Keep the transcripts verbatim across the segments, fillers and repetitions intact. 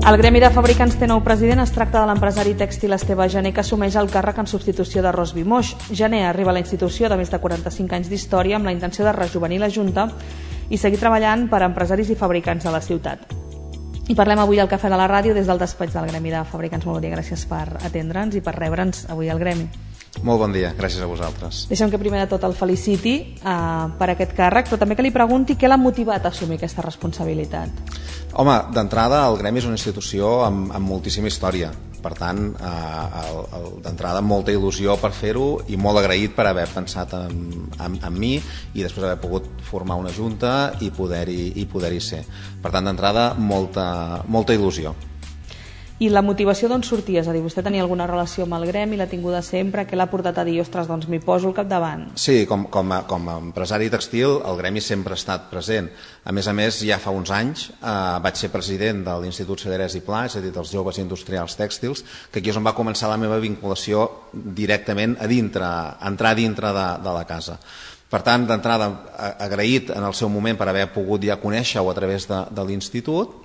El Gremi de Fabricants té nou president. Es tracta de l'empresari tèxtil Esteve Gené, que assumeix el càrrec en substitució de Ros Vimoix. Gené arriba a la institució de més de quaranta-cinc anys d'història amb la intenció de rejovenir la Junta i seguir treballant per a empresaris i fabricants de la ciutat. I parlem avui al Cafè de la Ràdio des del despatx del Gremi de Fabricants. Molt bon dia, gràcies per atendre'ns i per rebre'ns avui al Gremi. Molt bon dia, gràcies a vosaltres. Deixem que primer de tot el feliciti uh, per aquest càrrec, però també que li pregunti què l'ha motivat a assumir aquesta responsabilitat. Home, d'entrada el Gremi és una institució amb, amb moltíssima història, per tant eh, d'entrada molta il·lusió per fer-ho i molt agraït per haver pensat en, en, en mi i després haver pogut formar una junta i poder-hi i poder-hi ser. Per tant, d'entrada molta, molta il·lusió. I la motivació d'on sortia? És a dir, vostè tenia alguna relació amb el Gremi, l'ha tinguda sempre, què l'ha portat a dir, ostres, doncs m'hi poso al capdavant? Sí, com, com, a, com a empresari textil el Gremi sempre ha estat present. A més a més, ja fa uns anys eh, vaig ser president de l'Institut Cederès i Pla, és a dir, dels joves industrials tèxtils, que aquí és on va començar la meva vinculació directament a dintre, a entrar dintre de, de la casa. Per tant, d'entrada, agraït en el seu moment per haver pogut ja conèixer-ho a través de, de l'Institut,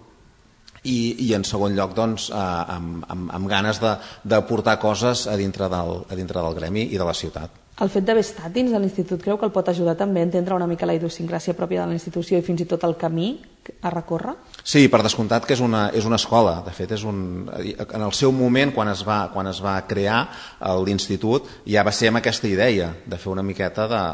I, i en segon lloc doncs, eh, amb, amb, amb ganes d'aportar coses a dintre, del, a dintre del Gremi i de la ciutat. El fet d'haver estat dins de l'Institut creu que el pot ajudar també a entendre una mica la idiosincràsia pròpia de la institució i fins i tot el camí a recórrer? Sí, per descomptat que és una, és una escola. De fet, és un, en el seu moment, quan es va, quan es va crear l'Institut, ja va ser amb aquesta idea de fer una miqueta de...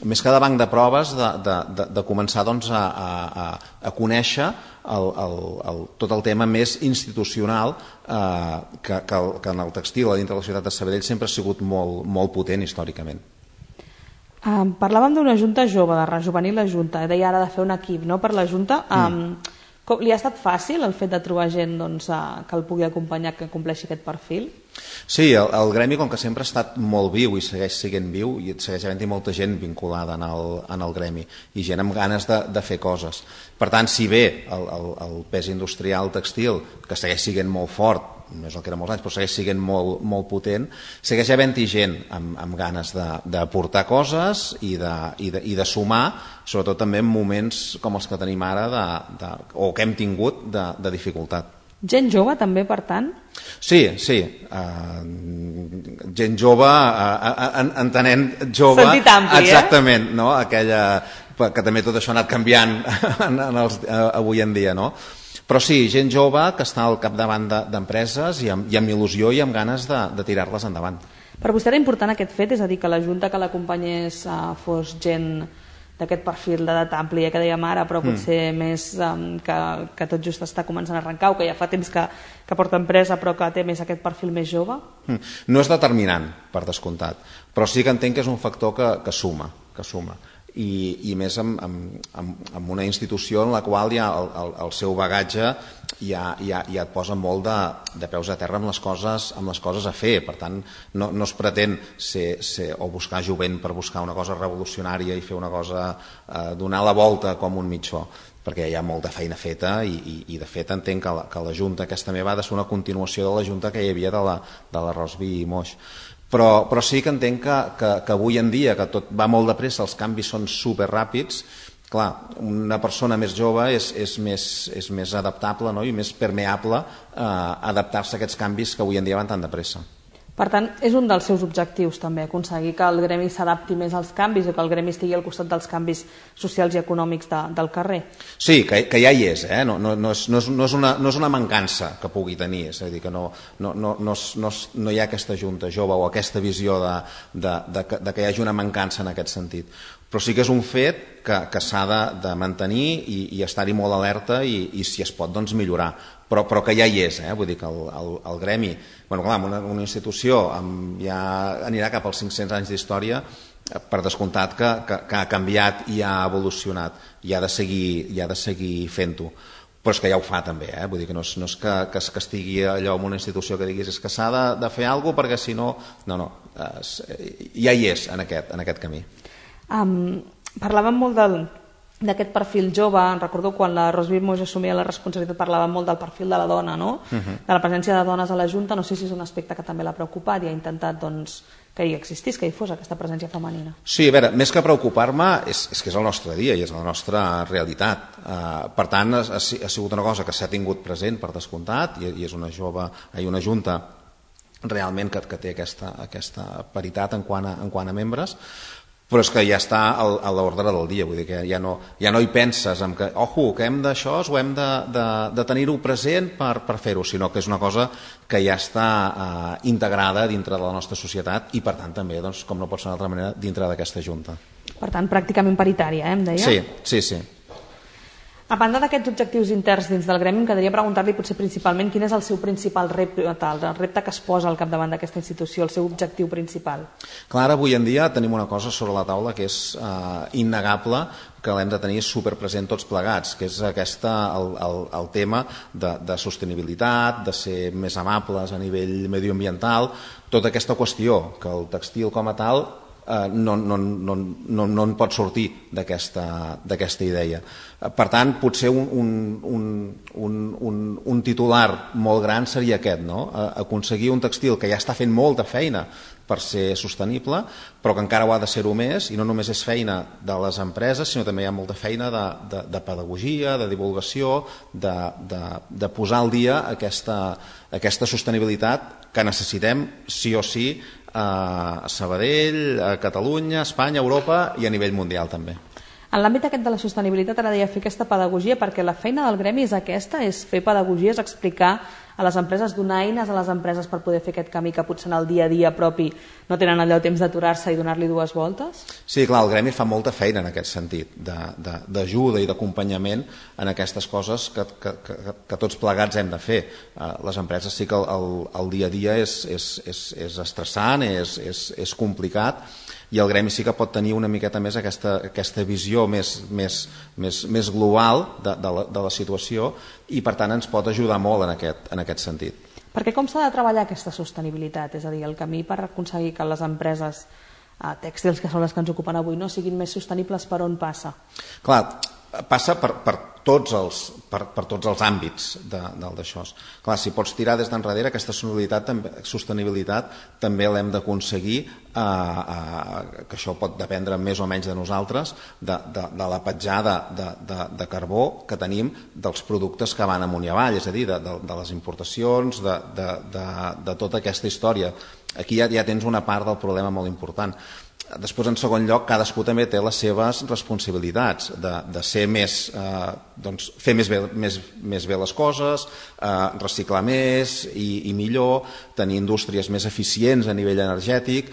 més que de banc de proves, de, de, de, de començar doncs, a, a, a conèixer el, el, el, tot el tema més institucional eh, que, que, el, que en el textil a dintre de la ciutat de Sabadell sempre ha sigut molt, molt potent històricament. Um, parlàvem d'una junta jove, de rejovenir la junta, deia ara de fer un equip no, per la junta. Um, mm. com, li ha estat fàcil el fet de trobar gent doncs, uh, que el pugui acompanyar, que compleixi aquest perfil? Sí, el, el Gremi, com que sempre ha estat molt viu i segueix sent viu, i segueix havent-hi molta gent vinculada en el, en el Gremi i gent amb ganes de, de fer coses. Per tant, si bé el, el, el pes industrial textil, que segueix sent molt fort, no és el que era molts anys, però segueix sent molt, molt potent, segueix havent-hi gent amb, amb ganes d'aportar coses i de, i, de, i de sumar, sobretot també en moments com els que tenim ara de, de, o que hem tingut de, de dificultat. Gent jove també, per tant? Sí, sí. Uh, gent jove, uh, entenent jove... Sentit ampli, exactament, eh? No? Aquella, que també tot això ha anat canviant en, en els, uh, avui en dia, no? Però sí, gent jove que està al capdavant d'empreses i, amb, i amb il·lusió i amb ganes de, de tirar-les endavant. Per vostè era important aquest fet? És a dir, que la Junta que l'acompanyés uh, fos gent d'aquest perfil d'edat àmplia que dèiem ara, però potser mm. més um, que, que tot just està començant a arrencar o que ja fa temps que, que porta empresa però que té més aquest perfil més jove? Mm. No és determinant, per descomptat, però sí que entenc que és un factor que, que suma, que suma. I, i més amb, amb, amb una institució en la qual ja el, el, el seu bagatge ja, ja, ja et posa molt de, de peus a terra amb les coses, amb les coses a fer. Per tant, no, no es pretén ser, ser, o buscar jovent per buscar una cosa revolucionària i fer una cosa, eh, donar la volta com un mitjó, perquè hi ha molta feina feta i, i, i de fet entenc que la, que la Junta aquesta meva ha de ser una continuació de la Junta que hi havia de la, de la Ros Vimoix. Però, però sí que entenc que, que, que avui en dia, que tot va molt de pressa, els canvis són superràpids, clar, una persona més jove és, és, més, és més adaptable, no? I més permeable a adaptar-se a aquests canvis que avui en dia van tan de pressa. Per tant, és un dels seus objectius també, aconseguir que el Gremi s'adapti més als canvis o que el Gremi estigui al costat dels canvis socials i econòmics de, del carrer. Sí, que, que ja hi és, eh? no, no, no, és, no, és, no, és una, no és una mancança que pugui tenir, és a dir, que no, no, no, no, no, no hi ha aquesta junta jove o aquesta visió de, de, de, de que hi hagi una mancança en aquest sentit. Però sí que és un fet que, que s'ha de, de mantenir i, i estar-hi molt alerta i, i si es pot doncs millorar. Però, però que ja hi és, eh? Vull dir que el, el, el Gremi, bueno, clar, una, una institució amb, ja anirà cap als cinc-cents anys d'història, per descomptat que, que, que ha canviat i ha evolucionat i ha de seguir, i ha de seguir fent-ho. Però és que ja ho fa també, eh? Vull dir que no és, no és que, que, que estigui allò en una institució que diguis és que s'ha de, de fer alguna cosa perquè si no... No, no, es, ja hi és en aquest, en aquest camí. Um, parlàvem molt del... d'aquest perfil jove, recordo quan la Ros Vimoix assumia la responsabilitat parlava molt del perfil de la dona, no? Uh-huh. De la presència de dones a la Junta, no sé si és un aspecte que també l'ha preocupat i ha intentat doncs, que hi existís, que hi fos aquesta presència femenina. Sí, a veure, més que preocupar-me és, és que és el nostre dia i és la nostra realitat. Uh, per tant, ha, ha sigut una cosa que s'ha tingut present per descomptat i, i és una jove, hi una junta realment que, que té aquesta, aquesta paritat en quant a, en quant a membres, però és que ja està a l'ordre del dia, vull dir que ja no, ja no hi penses en que, ojo, que hem d'això o hem de, de, de tenir-ho present per, per fer-ho, sinó que és una cosa que ja està uh, integrada dintre de la nostra societat i per tant també, doncs, com no pot ser d'altra manera, dintre d'aquesta junta. Per tant, pràcticament paritària, eh, em deia? Sí, sí, sí. A banda d'aquests objectius interns dins del gremi, em quedaria preguntar-li potser principalment quin és el seu principal repte, el repte que es posa al capdavant d'aquesta institució, el seu objectiu principal. Clar, avui en dia tenim una cosa sobre la taula que és uh, innegable, que l'hem de tenir superpresent tots plegats, que és aquesta, el, el, el tema de, de sostenibilitat, de ser més amables a nivell medioambiental, tota aquesta qüestió, que el textil com a tal Uh, no, no, no, no, no en pot sortir d'aquesta idea. Uh, per tant, potser un, un, un, un, un, un titular molt gran seria aquest, no? Uh, aconseguir un textil que ja està fent molta feina per ser sostenible, però que encara ho ha de ser-ho més, i no només és feina de les empreses, sinó també hi ha molta feina de, de, de pedagogia, de divulgació, de, de, de posar al dia aquesta, aquesta sostenibilitat que necessitem sí o sí a Sabadell, a Catalunya, a Espanya, a Europa i a nivell mundial també. En l'àmbit aquest de la sostenibilitat ara deia fer aquesta pedagogia, perquè la feina del gremi és aquesta, és fer pedagogia, és explicar a les empreses, donar eines a les empreses per poder fer aquest camí que potser en el dia a dia propi no tenen allò temps d'aturar-se i donar-li dues voltes? Sí, clar, el gremi fa molta feina en aquest sentit, d'ajuda i d'acompanyament en aquestes coses que, que, que, que tots plegats hem de fer. Les empreses sí que el, el, el dia a dia és, és, és, és estressant, és, és, és complicat, i el gremi sí que pot tenir una miqueta més aquesta, aquesta visió més, més, més, més global de, de, la, de la situació i per tant ens pot ajudar molt en aquest, en aquest sentit. Perquè com s'ha de treballar aquesta sostenibilitat? És a dir, el camí per aconseguir que les empreses eh, tèxtils, que són les que ens ocupen avui, no siguin més sostenibles, per on passa? Clar, passa per, per, tots els, per, per tots els àmbits d'això. Clar, si pots tirar des d'enrere, aquesta sostenibilitat també, sostenibilitat també l'hem d'aconseguir, eh, eh, que això pot dependre més o menys de nosaltres, de, de, de la petjada de, de, de carbó que tenim dels productes que van amunt i avall, és a dir, de, de, de les importacions, de, de, de, de tota aquesta història. Aquí ja, ja tens una part del problema molt important. Després, en segon lloc, cadascú també té les seves responsabilitats de, de ser més, eh, doncs, fer més bé, més, més bé les coses, eh, reciclar més i, i millor, tenir indústries més eficients a nivell energètic.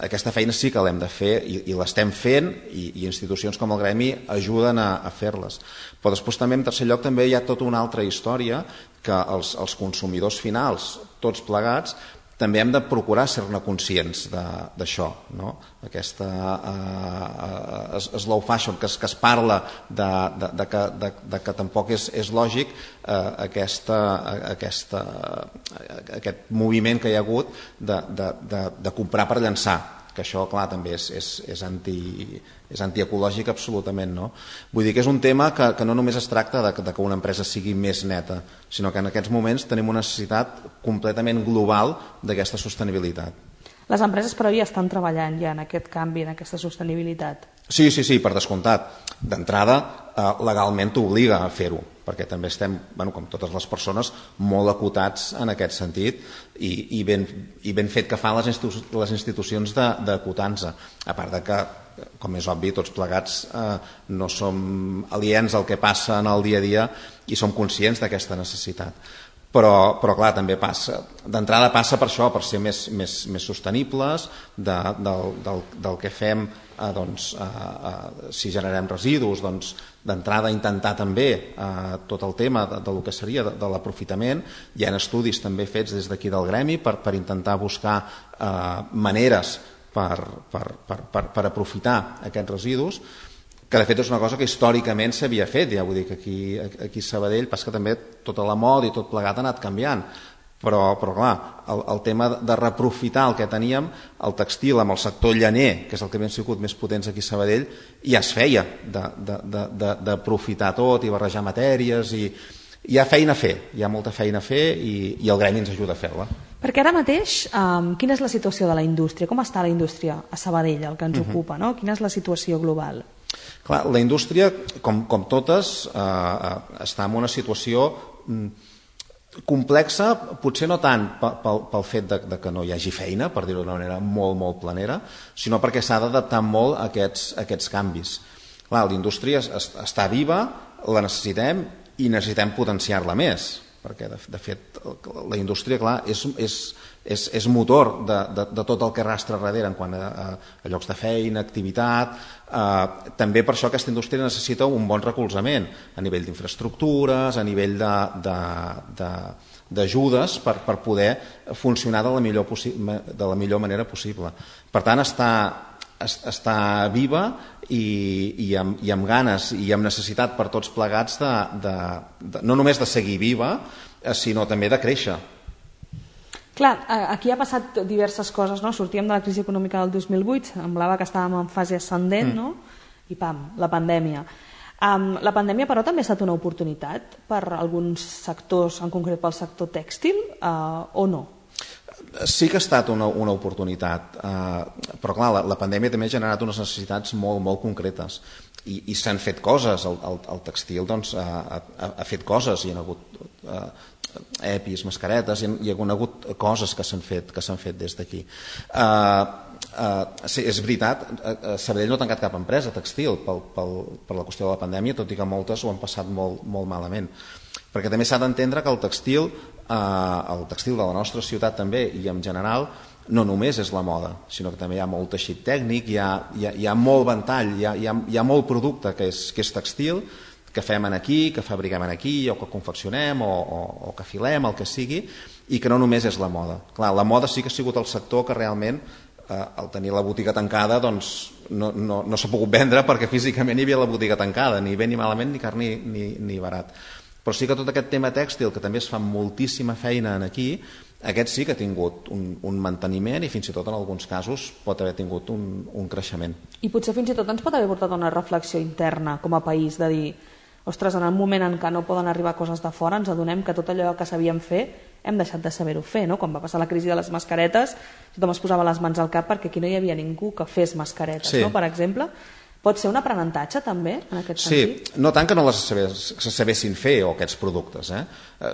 Aquesta feina sí que l'hem de fer i, i l'estem fent i, i institucions com el gremi ajuden a, a fer-les. Però després també, en tercer lloc, també hi ha tota una altra història que els, els consumidors finals, tots plegats, també hem de procurar ser-ne conscients d'això, no? Aquesta uh, slow fashion, que es, que es parla de, de, de, que, de, de que tampoc és, és lògic uh, aquesta, aquesta, uh, aquest moviment que hi ha hagut de, de, de, de comprar per llançar, que això, clar, també és, és, és, anti, és antiecològic absolutament, no? Vull dir que és un tema que, que no només es tracta de, de que una empresa sigui més neta, sinó que en aquests moments tenim una necessitat completament global d'aquesta sostenibilitat. Les empreses, però, ja estan treballant ja en aquest canvi, en aquesta sostenibilitat. Sí, sí, sí, per descomptat. D'entrada, eh, legalment t'obliga a fer-ho, perquè també estem, bueno, com totes les persones, molt acotats en aquest sentit i, i, ben, i ben fet que fan les, institu les institucions d'acotar-nos. A part de que, com és obvi, tots plegats eh, no som aliens al que passa en el dia a dia i som conscients d'aquesta necessitat. Però, però clar, també passa, d'entrada passa per això, per ser més, més, més sostenibles de, del, del, del que fem, eh, doncs, eh, eh, si generem residus, doncs, d'entrada intentar també eh, tot el tema de, de lo que seria de, de l'aprofitament. Hi ha estudis també fets des d'aquí del gremi per, per intentar buscar eh, maneres per, per, per, per, per aprofitar aquests residus, que de fet és una cosa que històricament s'havia fet, ja vull dir que aquí, aquí a Sabadell passa que també tota la moda i tot plegat ha anat canviant, però, però clar, el, el tema de reaprofitar el que teníem, el textil amb el sector llaner, que és el que hem sigut més potents aquí a Sabadell, ja es feia d'aprofitar tot i barrejar matèries, i hi ha feina a fer, hi ha molta feina a fer i, i el gremi ens ajuda a fer-la. Perquè ara mateix, um, quina és la situació de la indústria? Com està la indústria a Sabadell, el que ens uh-huh. ocupa, no? Quina és la situació global? Clar, la indústria, com, com totes, eh, està en una situació complexa, potser no tant pel, pel fet de, de que no hi hagi feina, per dir-ho d'una manera molt, molt planera, sinó perquè s'ha d'adaptar molt a aquests, a aquests canvis. Clar, la indústria està viva, la necessitem i necessitem potenciar-la més, perquè de, de fet la indústria, clar, és, és, és, és motor de, de, de tot el que arrastra darrere en quant a, a, a llocs de feina, activitat. Eh, també per això aquesta indústria necessita un bon recolzament a nivell d'infraestructures, a nivell d'ajudes per, per poder funcionar de la, millor de la millor manera possible. Per tant, està, està viva i, i, amb, i amb ganes i amb necessitat per tots plegats de, de, de, no només de seguir viva, sinó també de créixer. Clar, aquí ha passat diverses coses, no? Sortíem de la crisi econòmica del dos mil vuit, semblava que estàvem en fase ascendent, mm. no? I pam, la pandèmia. Um, la pandèmia, però, també ha estat una oportunitat per alguns sectors, en concret pel sector tèxtil, uh, o no? Sí que ha estat una, una oportunitat, eh, però clar, la, la pandèmia també ha generat unes necessitats molt, molt concretes i, i s'han fet coses. El, el, el textil doncs, ha, ha, ha fet coses, hi ha hagut eh, epis, mascaretes, hi ha, hi ha hagut coses que s'han fet, que s'han fet des d'aquí. Eh, eh, sí, és veritat, eh, Sabadell no ha tancat cap empresa textil pel, pel, per la qüestió de la pandèmia, tot i que moltes ho han passat molt, molt malament. Perquè també s'ha d'entendre que el textil, eh, el textil de la nostra ciutat també i en general no només és la moda, sinó que també hi ha molt teixit tècnic, hi ha, hi ha, hi ha molt ventall, hi ha, hi ha, hi ha molt producte que és, que és textil, que fem aquí, que fabriquem aquí, o que confeccionem, o, o, o que filem, el que sigui, i que no només és la moda. Clar, la moda sí que ha sigut el sector que realment, eh, al tenir la botiga tancada, doncs no, no, no s'ha pogut vendre perquè físicament hi havia la botiga tancada, ni bé ni malament, ni car ni, ni, ni barat. Però sí que tot aquest tema tèxtil, que també es fa moltíssima feina aquí, aquest sí que ha tingut un, un manteniment i fins i tot en alguns casos pot haver tingut un, un creixement. I potser fins i tot ens pot haver portat una reflexió interna com a país de dir, ostres, en el moment en què no poden arribar coses de fora ens adonem que tot allò que sabíem fer hem deixat de saber-ho fer, no? Quan va passar la crisi de les mascaretes tothom es posava les mans al cap perquè aquí no hi havia ningú que fes mascaretes, sí. No? Per exemple. Pot ser un aprenentatge també en aquest sentit? Sí, no tant que no les sabés, se sabessin fer o aquests productes, eh?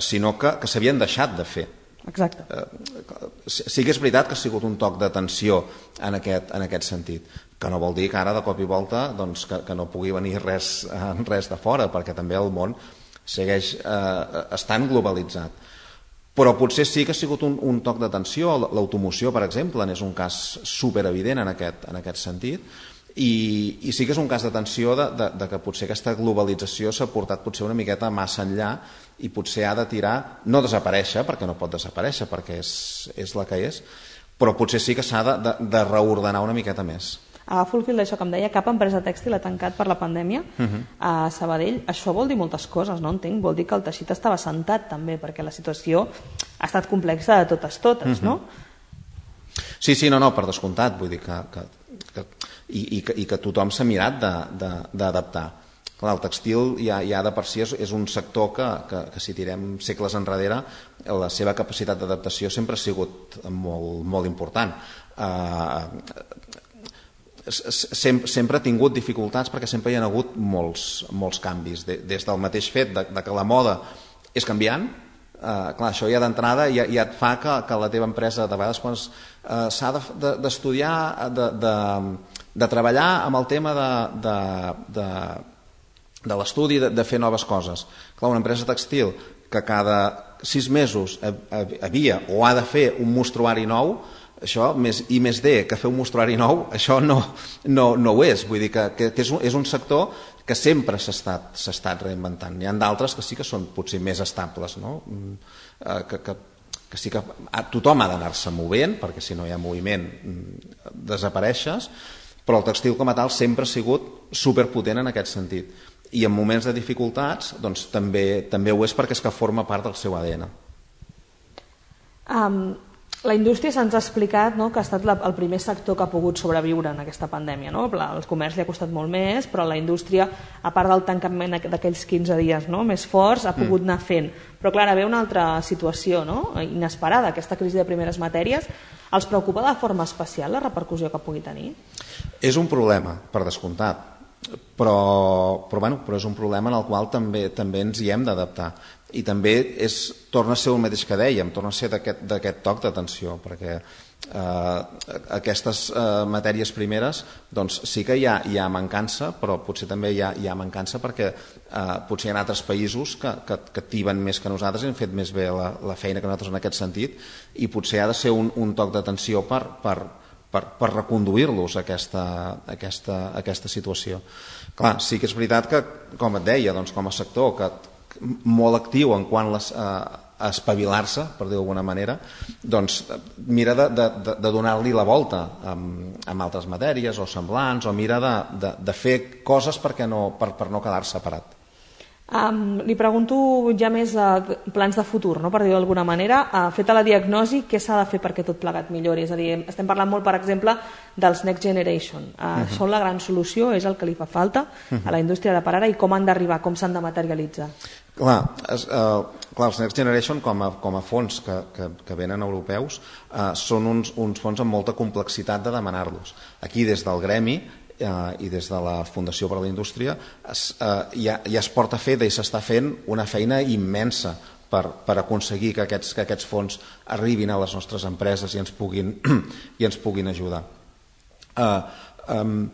Sinó que, que s'havien deixat de fer. Exacte. Eh, sí que és veritat que ha sigut un toc d'atenció en aquest, en aquest sentit, que no vol dir que ara de cop i volta doncs, que, que no pugui venir res, res de fora, perquè també el món segueix eh, estant globalitzat. Però potser sí que ha sigut un, un toc d'atenció. L'automoció, per exemple, n'és un cas superevident en aquest, en aquest sentit. I, i sí que és un cas d'atenció de, de, de que potser aquesta globalització s'ha portat potser una miqueta massa enllà i potser ha de tirar, no desaparèixer, perquè no pot desaparèixer, perquè és, és la que és, però potser sí que s'ha de, de, de reordenar una miqueta més. Agafo el fil d'això que em deia, cap empresa tèxtil ha tancat per la pandèmia uh-huh. a Sabadell. Això vol dir moltes coses, no entenc? Vol dir que el teixit estava assentat també, perquè la situació ha estat complexa de totes totes, uh-huh. no? Sí, sí, no, no, per descomptat, vull dir que... que, que I, i, que, i que tothom s'ha mirat d'adaptar. Clar, el textil ja, ja de per si és, és un sector que, que, que si tirem segles enrere la seva capacitat d'adaptació sempre ha sigut molt, molt important. Uh, sempre, sempre ha tingut dificultats perquè sempre hi ha hagut molts, molts canvis, de, des del mateix fet de, de que la moda és canviant. Uh, clar, això ja d'entrada ja, ja et fa que, que la teva empresa de vegades quan uh, s'ha d'estudiar de, de, de, de treballar amb el tema de, de, de, de l'estudi de, de fer noves coses. Clar, una empresa textil que cada sis mesos havia o ha de fer un mostruari nou, això, més I més D que fer un mostruari nou, això no, no, no ho és. Vull dir que, que, que és, un, és un sector que sempre s'ha estat, s'ha estat reinventant. N'hi ha d'altres que sí que són potser més estables, no? que, que, que sí que tothom ha d'anar-se movent, perquè si no hi ha moviment desapareixes, però el textil com a tal sempre ha sigut superpotent en aquest sentit. I en moments de dificultats doncs, també, també ho és perquè és que forma part del seu A D N. Um, La indústria se'ns ha explicat, no?, que ha estat la, el primer sector que ha pogut sobreviure en aquesta pandèmia, no? El comerç li ha costat molt més, però la indústria, a part del tancament d'aquells quinze dies, no?, més forts, ha pogut anar fent. Però clar, ve una altra situació, no?, inesperada, aquesta crisi de primeres matèries. Els preocupa de forma especial la repercussió que pugui tenir? És un problema, per descomptat, però, però, bueno, però és un problema en el qual també, també ens hi hem d'adaptar. I també és, torna a ser el mateix que dèiem, torna a ser d'aquest toc d'atenció, perquè eh, aquestes eh, matèries primeres doncs, sí que hi ha, hi ha mancança, però potser també hi ha, hi ha mancança perquè eh, potser hi ha altres països que, que, que tiben més que nosaltres i han fet més bé la, la feina que nosaltres en aquest sentit, i potser ha de ser un, un toc d'atenció per, per, per, per reconduir-los a aquesta, a aquesta, a aquesta situació. Clar, sí que és veritat que, com et deia, doncs, com a sector que molt actiu en quant les, a, a espavilar-se, per dir d'alguna manera, doncs mira de, de, de donar-li la volta amb, amb altres matèries o semblants, o mira de, de, de fer coses perquè no, per, per no quedar-se parat. Um, li pregunto ja més uh, plans de futur, no?, per dir-ho d'alguna manera. Uh, feta la diagnosi, què s'ha de fer perquè tot plegat millori? És a dir, estem parlant molt, per exemple, dels Next Generation. Uh, uh -huh. Són la gran solució, és el que li fa falta uh -huh. a la indústria de per ara, i com han d'arribar, com s'han de materialitzar? Clar, es, uh, clar, els Next Generation com a, com a fons que, que, que venen europeus uh, són uns, uns fons amb molta complexitat de demanar-los. Aquí, des del gremi, Uh, i des de la Fundació per a la Indústria es, uh, ja, ja es porta feta i s'està fent una feina immensa per, per aconseguir que aquests, que aquests fons arribin a les nostres empreses i ens puguin, i ens puguin ajudar. Uh, um,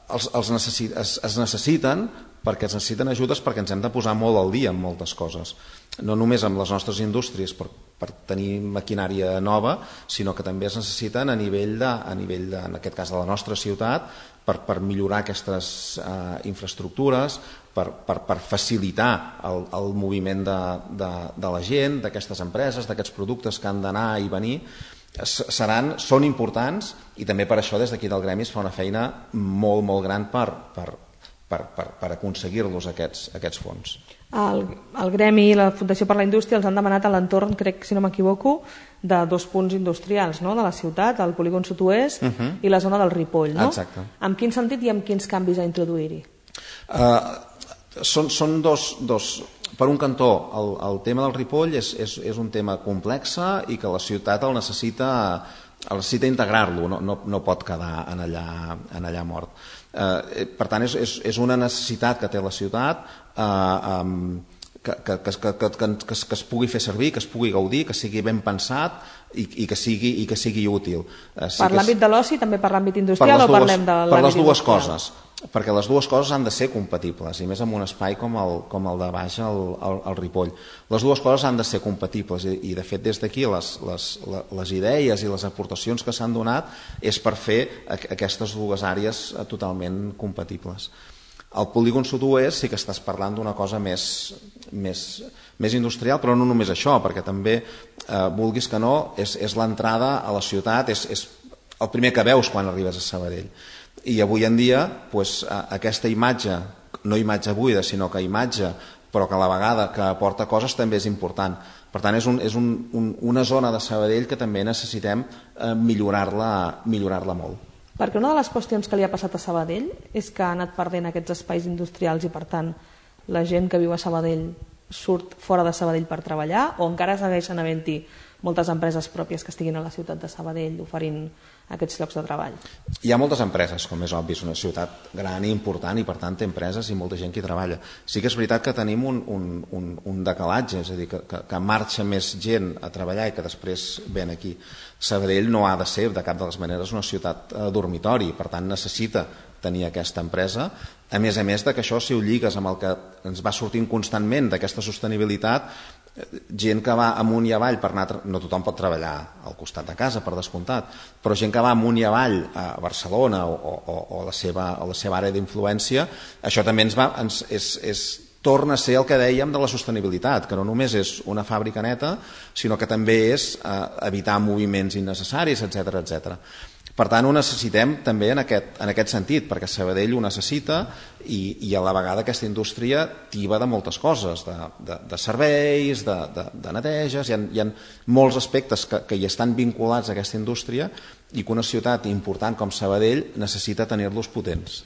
els, els necessi, es, es necessiten perquè es necessiten ajudes perquè ens hem de posar molt al dia en moltes coses, no només amb les nostres indústries per, per tenir maquinària nova, sinó que també es necessiten a nivell, de, a nivell de, en aquest cas de la nostra ciutat, per, per millorar aquestes eh, infraestructures, per, per, per facilitar el, el moviment de, de, de la gent, d'aquestes empreses, d'aquests productes que han d'anar i venir. Seran, són importants, i també per això des d'aquí del gremi es fa una feina molt, molt gran per, per, per, per, per aconseguir-los aquests, aquests fons. El, el gremi i la Fundació per la Indústria els han demanat a l'entorn, crec, si no m'equivoco, de dos punts industrials, no?, de la ciutat, el polígon sud-oest uh -huh. i la zona del Ripoll, no? Exacte. En quin sentit i amb quins canvis a introduir-hi? Uh, són, són dos, dos... Per un cantó, el, el tema del Ripoll és, és, és un tema complex i que la ciutat el necessita, el necessita integrar-lo, no, no, no pot quedar en allà, en allà mort. Uh, per tant, és, és, és una necessitat que té la ciutat, uh, um, que, que, que, que, que, que, que es pugui fer servir, que es pugui gaudir, que sigui ben pensat i, i, que, sigui, i que sigui útil. Uh, sí per l'àmbit és... de l'oci, també per l'àmbit industrial, per o dues, parlem de l'àmbit per les dues industrial? coses, perquè les dues coses han de ser compatibles, i més en un espai com el, com el de baix, el, el, el Ripoll. Les dues coses han de ser compatibles, i, i de fet des d'aquí les, les, les idees i les aportacions que s'han donat és per fer aquestes dues àrees totalment compatibles. Al polígon sud-oest sí que estàs parlant d'una cosa més, més, més industrial, però no només això, perquè també, eh, vulguis que no, és, és l'entrada a la ciutat, és, és el primer que veus quan arribes a Sabadell. I avui en dia, pues, aquesta imatge, no imatge buida, sinó que imatge, però que a la vegada que aporta coses, també és important. Per tant, és, un, és un, un, una zona de Sabadell que també necessitem eh, millorar-la millorar-la molt. Perquè una de les qüestions que li ha passat a Sabadell és que ha anat perdent aquests espais industrials i, per tant, la gent que viu a Sabadell surt fora de Sabadell per treballar, o encara segueixen havent-hi moltes empreses pròpies que estiguin a la ciutat de Sabadell oferint aquests llocs de treball? Hi ha moltes empreses, com és obvi, és una ciutat gran i important i per tant té empreses i molta gent que hi treballa. Sí que és veritat que tenim un, un, un, un decalatge, és a dir, que, que, que marxa més gent a treballar i que després ven aquí. Sabadell no ha de ser de cap de les maneres una ciutat eh, dormitori, per tant necessita tenir aquesta empresa, a més a més de que això, si ho lligues amb el que ens va sortint constantment d'aquesta sostenibilitat, gent que va amunt i avall per anar, no tothom pot treballar al costat de casa, per descomptat, però gent que va amunt i avall a Barcelona o, o, o, la, seva, o la seva àrea d'influència, això també ens va, ens, és, és, torna a ser el que dèiem de la sostenibilitat, que no només és una fàbrica neta, sinó que també és eh, evitar moviments innecessaris, etcètera etcètera. Per tant, ho necessitem també en aquest, en aquest sentit, perquè Sabadell ho necessita i, i a la vegada aquesta indústria tiba de moltes coses, de, de, de serveis, de, de, de neteges, hi ha, hi ha molts aspectes que, que hi estan vinculats a aquesta indústria i que una ciutat important com Sabadell necessita tenir-los potents.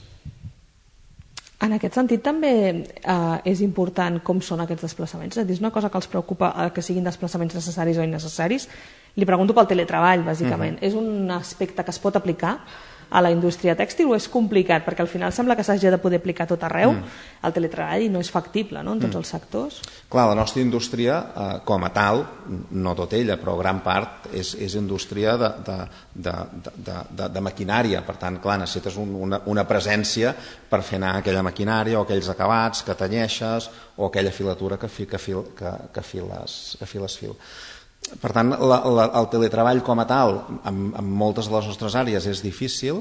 En aquest sentit també eh, és important com són aquests desplaçaments, és a dir, és una cosa que els preocupa eh, que siguin desplaçaments necessaris o innecessaris. Li pregunto pel teletreball, bàsicament. Uh-huh. És un aspecte que es pot aplicar a la indústria tèxtil o és complicat? Perquè al final sembla que s'hagi de poder aplicar tot arreu mm. el teletreball i no és factible, no?, en tots mm. els sectors. Clar, la nostra indústria, eh, com a tal, no tot ella, però gran part, és, és indústria de, de, de, de, de, de maquinària. Per tant, clar, necessites un, una, una presència per fer anar aquella maquinària o aquells acabats que tenyeixes o aquella filatura que, fi, que, fil, que, que, files, que files fil. Per tant, la, la, el teletreball com a tal, en, en moltes de les nostres àrees és difícil,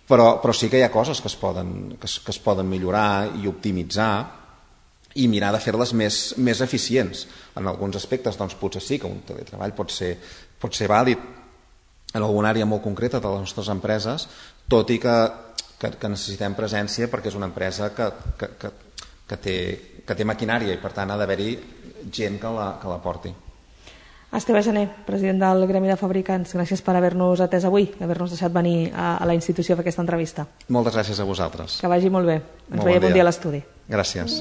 però, però sí que hi ha coses que es poden, que es, que es poden millorar i optimitzar i mirar de fer-les més, més eficients. En alguns aspectes, doncs, potser sí que un teletreball pot ser, pot ser vàlid en alguna àrea molt concreta de les nostres empreses, tot i que, que, que necessitem presència perquè és una empresa que, que, que, que, té, que té maquinària i, per tant, ha d'haver-hi gent que la, que la porti. Esteve Gené, president del Gremi de Fabricants, gràcies per haver-nos atès avui, haver-nos deixat venir a, a la institució a fer aquesta entrevista. Moltes gràcies a vosaltres. Que vagi molt bé. Ens molt veiem bon dia a l'estudi. Gràcies.